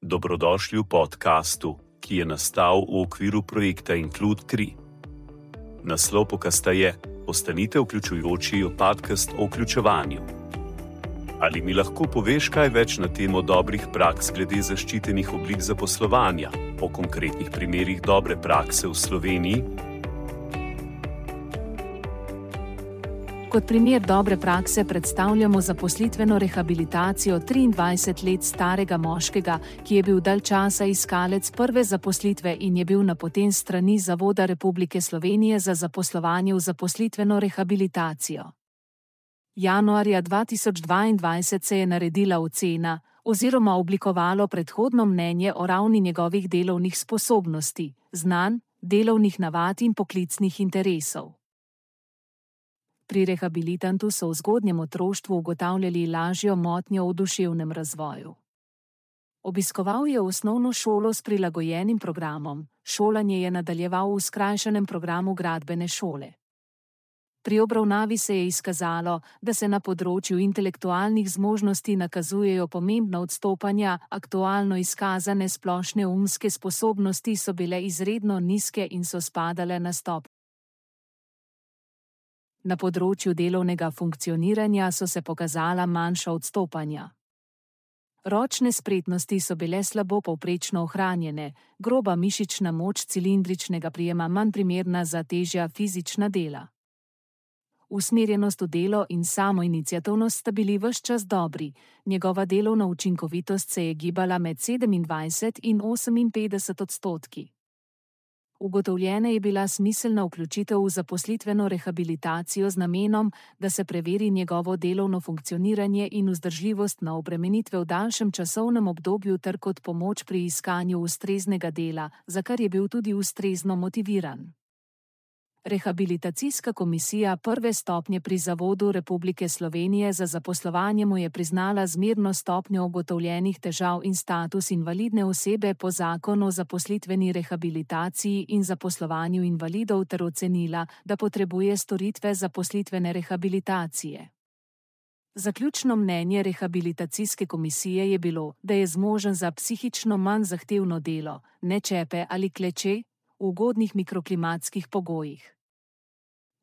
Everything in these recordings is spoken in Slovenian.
Dobrodošli v podkastu, ki je nastal v okviru projekta Include 3. Naslov podcasta je: Ostanite vključujoči, podcast o vključevanju. Ali mi lahko poveš kaj več na temo dobrih praks glede zaščitenih oblik zaposlovanja, o konkretnih primerih dobre prakse v Sloveniji? Kot primer dobre prakse predstavljamo zaposlitveno rehabilitacijo 23 let starega moškega, ki je bil dalj časa iskalec prve zaposlitve in je bil napoten s strani Zavoda Republike Slovenije za zaposlovanje v zaposlitveno rehabilitacijo. Januarja 2022 se je naredila ocena oziroma oblikovalo predhodno mnenje o ravni njegovih delovnih sposobnosti, znanj, delovnih navad in poklicnih interesov. Pri rehabilitantu so v zgodnjem otroštvu ugotavljali lažjo motnjo v duševnem razvoju. Obiskoval je osnovno šolo s prilagojenim programom, šolanje je nadaljeval v skrajšanem programu gradbene šole. Pri obravnavi se je izkazalo, da se na področju intelektualnih zmožnosti nakazujejo pomembna odstopanja, aktualno izkazane splošne umske sposobnosti so bile izredno nizke in so spadale na stopnjo. Na področju delovnega funkcioniranja so se pokazala manjša odstopanja. Ročne spretnosti so bile slabo povprečno ohranjene, groba mišična moč cilindričnega prijema manj primerna za težja fizična dela. Usmerjenost v delo in samoiniciativnost sta bili ves čas dobri, njegova delovna učinkovitost se je gibala med 27 in 58 odstotki. Ugotovljena je bila smiselna vključitev v zaposlitveno rehabilitacijo z namenom, da se preveri njegovo delovno funkcioniranje in vzdržljivost na obremenitve v daljšem časovnem obdobju ter kot pomoč pri iskanju ustreznega dela, za kar je bil tudi ustrezno motiviran. Rehabilitacijska komisija prve stopnje pri Zavodu Republike Slovenije za zaposlovanje mu je priznala zmerno stopnjo ugotovljenih težav in status invalidne osebe po zakonu o zaposlitveni rehabilitaciji in zaposlovanju invalidov ter ocenila, da potrebuje storitve zaposlitvene rehabilitacije. Zaključno mnenje rehabilitacijske komisije je bilo, da je zmožen za psihično manj zahtevno delo, ne čepe ali kleče, v ugodnih mikroklimatskih pogojih.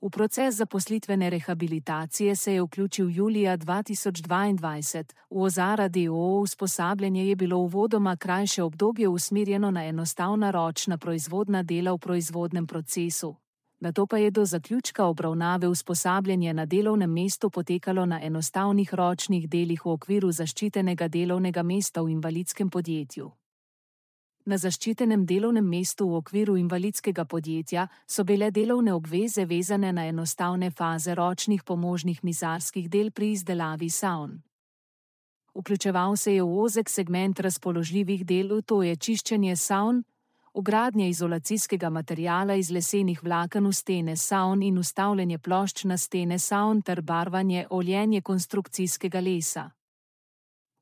V proces zaposlitvene rehabilitacije se je vključil julija 2022, v Ozara d.o.o. usposabljanje je bilo uvodoma krajše obdobje usmerjeno na enostavna ročna proizvodna dela v proizvodnem procesu. Nato pa je do zaključka obravnave usposabljanje na delovnem mestu potekalo na enostavnih ročnih delih v okviru zaščitenega delovnega mesta v invalidskem podjetju. Na zaščitenem delovnem mestu v okviru invalidskega podjetja so bile delovne obveze vezane na enostavne faze ročnih pomožnih mizarskih del pri izdelavi savn. Vključeval se je v ozek segment razpoložljivih del, to je čiščenje savn, vgradnje izolacijskega materiala iz lesenih vlaken v stene savn in vstavljanje plošč na stene savn ter barvanje, oljenje konstrukcijskega lesa.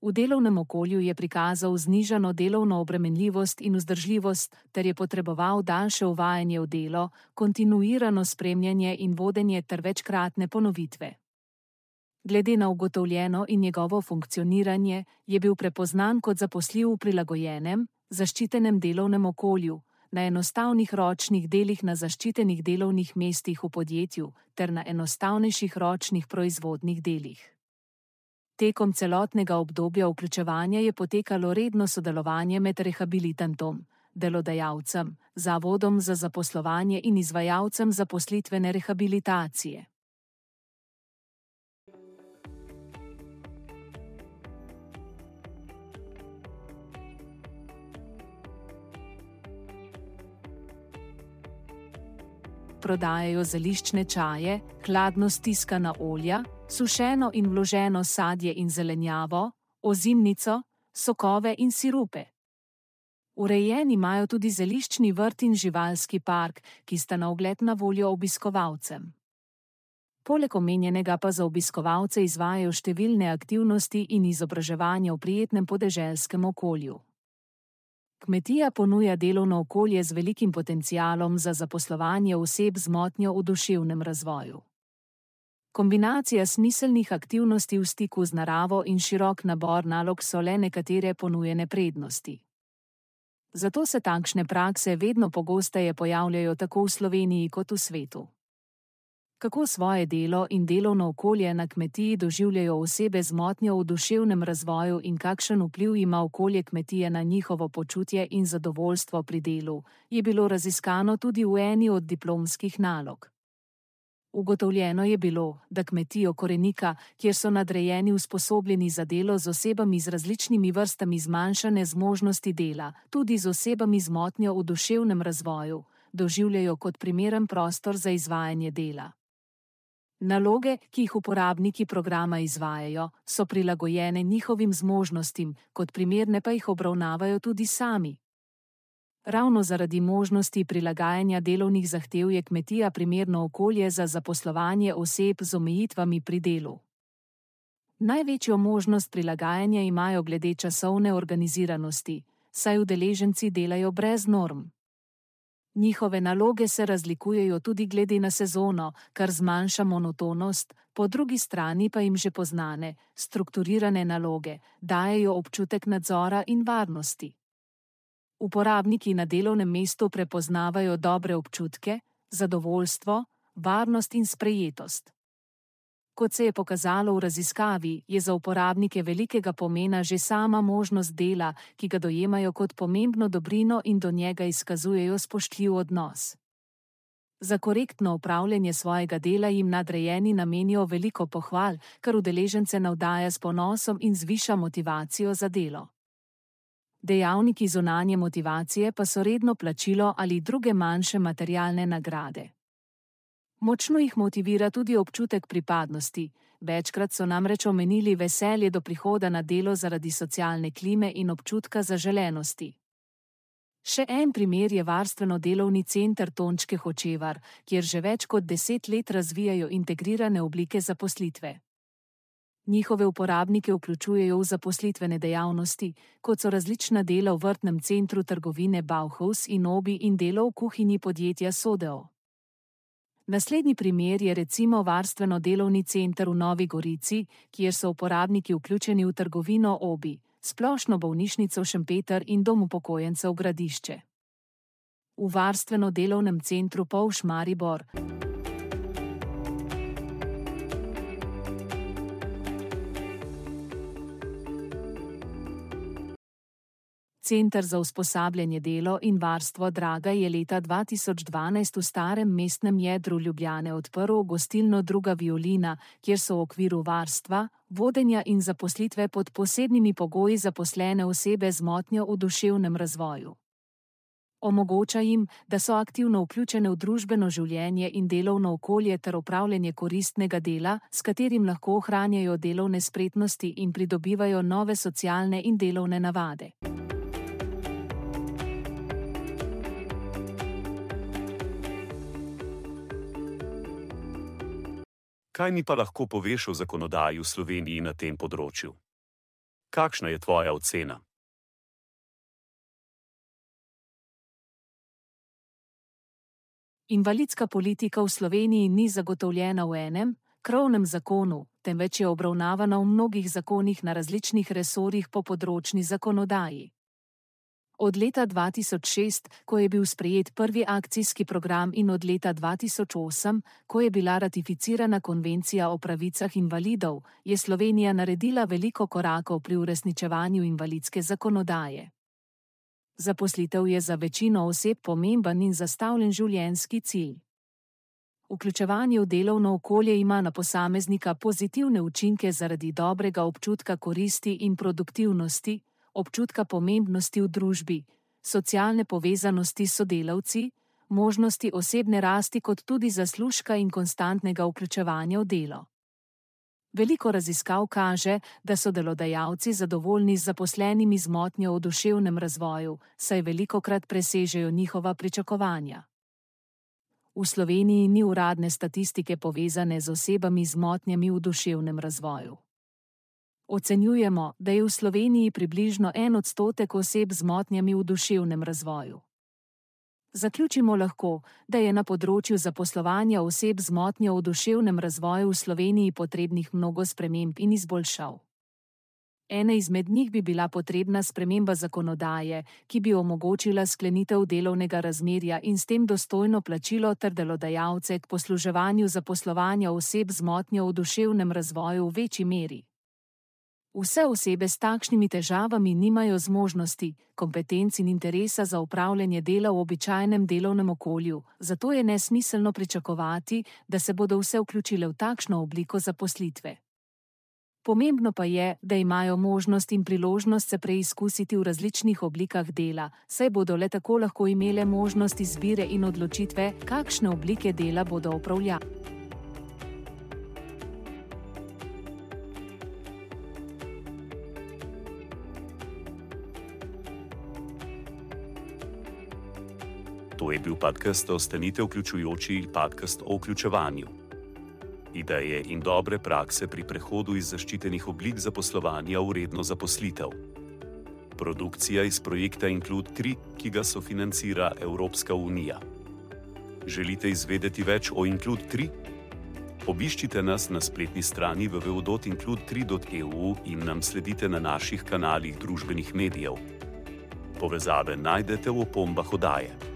V delovnem okolju je prikazal znižano delovno obremenljivost in vzdržljivost ter je potreboval daljše uvajanje v delo, kontinuirano spremljanje in vodenje ter večkratne ponovitve. Glede na ugotovljeno in njegovo funkcioniranje je bil prepoznan kot zaposljiv v prilagojenem, zaščitenem delovnem okolju, na enostavnih ročnih delih na zaščitenih delovnih mestih v podjetju ter na enostavnejših ročnih proizvodnih delih. Tekom celotnega obdobja vključevanja je potekalo redno sodelovanje med rehabilitantom, delodajalcem, Zavodom za zaposlovanje in izvajalcem zaposlitvene rehabilitacije. Prodajajo zeliščne čaje, hladno stiskana olja, sušeno in vloženo sadje in zelenjavo, ozimnico, sokove in sirupe. Urejen imajo tudi zeliščni vrt in živalski park, ki sta na ogled na voljo obiskovalcem. Poleg omenjenega pa za obiskovalce izvajajo številne aktivnosti in izobraževanja v prijetnem podeželskem okolju. Kmetija ponuja delovno okolje z velikim potencialom za zaposlovanje oseb z motnjo v duševnem razvoju. Kombinacija smiselnih aktivnosti v stiku z naravo in širok nabor nalog so le nekatere ponujene prednosti. Zato se takšne prakse vedno pogosteje pojavljajo tako v Sloveniji kot v svetu. Kako svoje delo in delovno okolje na kmetiji doživljajo osebe z motnjo v duševnem razvoju in kakšen vpliv ima okolje kmetije na njihovo počutje in zadovoljstvo pri delu, je bilo raziskano tudi v eni od diplomskih nalog. Ugotovljeno je bilo, da kmetijo Korenika, kjer so nadrejeni usposobljeni za delo z osebami z različnimi vrstami zmanjšane zmožnosti dela, tudi z osebami z motnjo v duševnem razvoju, doživljajo kot primeren prostor za izvajanje dela. Naloge, ki jih uporabniki programa izvajajo, so prilagojene njihovim zmožnostim, kot primerne pa jih obravnavajo tudi sami. Ravno zaradi možnosti prilagajanja delovnih zahtev je kmetija primerno okolje za zaposlovanje oseb z omejitvami pri delu. Največjo možnost prilagajanja imajo glede časovne organiziranosti, saj udeleženci delajo brez norm. Njihove naloge se razlikujejo tudi glede na sezono, kar zmanjša monotonost, po drugi strani pa jim že poznane, strukturirane naloge dajejo občutek nadzora in varnosti. Uporabniki na delovnem mestu prepoznavajo dobre občutke, zadovoljstvo, varnost in sprejetost. Kot se je pokazalo v raziskavi, je za uporabnike velikega pomena že sama možnost dela, ki ga dojemajo kot pomembno dobrino in do njega izkazujejo spoštljiv odnos. Za korektno opravljanje svojega dela jim nadrejeni namenijo veliko pohval, kar udeležence navdaja s ponosom in zviša motivacijo za delo. Dejavniki zunanje motivacije pa so redno plačilo ali druge manjše materialne nagrade. Močno jih motivira tudi občutek pripadnosti, večkrat so namreč omenili veselje do prihoda na delo zaradi socialne klime in občutka zaželenosti. Še en primer je varstveno-delovni center Tončke Hočevar, kjer že več kot 10 let razvijajo integrirane oblike zaposlitve. Njihove uporabnike vključujejo v zaposlitvene dejavnosti, kot so različna dela v vrtnem centru trgovine Bauhaus in Obi in delo v kuhinji podjetja Sodeo. Naslednji primer je recimo varstveno-delovni center v Novi Gorici, kjer so uporabniki vključeni v trgovino Obi, splošno bolnišnico Šempeter in dom upokojencev Gradišče. V varstveno-delovnem centru Polž Maribor Center za usposabljanje delo in varstvo Draga je leta 2012 v starem mestnem jedru Ljubljane odprl gostilno Druga violina, kjer so v okviru varstva, vodenja in zaposlitve pod posebnimi pogoji zaposlene osebe z motnjo v duševnem razvoju. Omogoča jim, da so aktivno vključene v družbeno življenje in delovno okolje ter opravljanje koristnega dela, s katerim lahko ohranjajo delovne spretnosti in pridobivajo nove socialne in delovne navade. Kaj mi pa lahko poveš o zakonodaji v Sloveniji na tem področju? Kakšna je tvoja ocena? Invalidska politika v Sloveniji ni zagotovljena v enem, krovnem zakonu, temveč je obravnavana v mnogih zakonih na različnih resorjih po področni zakonodaji. Od leta 2006, ko je bil sprejet prvi akcijski program in od leta 2008, ko je bila ratificirana konvencija o pravicah invalidov, je Slovenija naredila veliko korakov pri uresničevanju invalidske zakonodaje. Zaposlitev je za večino oseb pomemben in zastavljen življenjski cilj. Vključevanje v delovno okolje ima na posameznika pozitivne učinke zaradi dobrega občutka koristi in produktivnosti, občutka pomembnosti v družbi, socialne povezanosti s sodelavci, možnosti osebne rasti kot tudi zaslužka in konstantnega vključevanja v delo. Veliko raziskav kaže, da so delodajalci zadovoljni z zaposlenimi z motnjo v duševnem razvoju, saj velikokrat presežejo njihova pričakovanja. V Sloveniji ni uradne statistike povezane z osebami z motnjami v duševnem razvoju. Ocenjujemo, da je v Sloveniji približno 1% oseb z motnjami v duševnem razvoju. Zaključimo lahko, da je na področju zaposlovanja oseb z motnjo v duševnem razvoju v Sloveniji potrebnih mnogo sprememb in izboljšav. Ena izmed njih bi bila potrebna sprememba zakonodaje, ki bi omogočila sklenitev delovnega razmerja in s tem dostojno plačilo ter delodajalce k posluževanju zaposlovanja oseb z motnjo v duševnem razvoju v večji meri. Vse osebe s takšnimi težavami nimajo zmožnosti, kompetenc in interesa za opravljanje dela v običajnem delovnem okolju, zato je nesmiselno pričakovati, da se bodo vse vključile v takšno obliko zaposlitve. Pomembno pa je, da imajo možnost in priložnost se preizkusiti v različnih oblikah dela, saj bodo le tako lahko imele možnost izbire in odločitve, kakšne oblike dela bodo opravljali. To je bil podcast Ostanite vključujoči, podcast o vključevanju. Ideje in dobre prakse pri prehodu iz zaščitenih oblik zaposlovanja v redno zaposlitev. Produkcija iz projekta Include 3, ki ga sofinancira Evropska unija. Želite izvedeti več o Include 3? Obiščite nas na spletni strani www.include3.eu in nam sledite na naših kanalih družbenih medijev. Povezave najdete v opombah oddaje.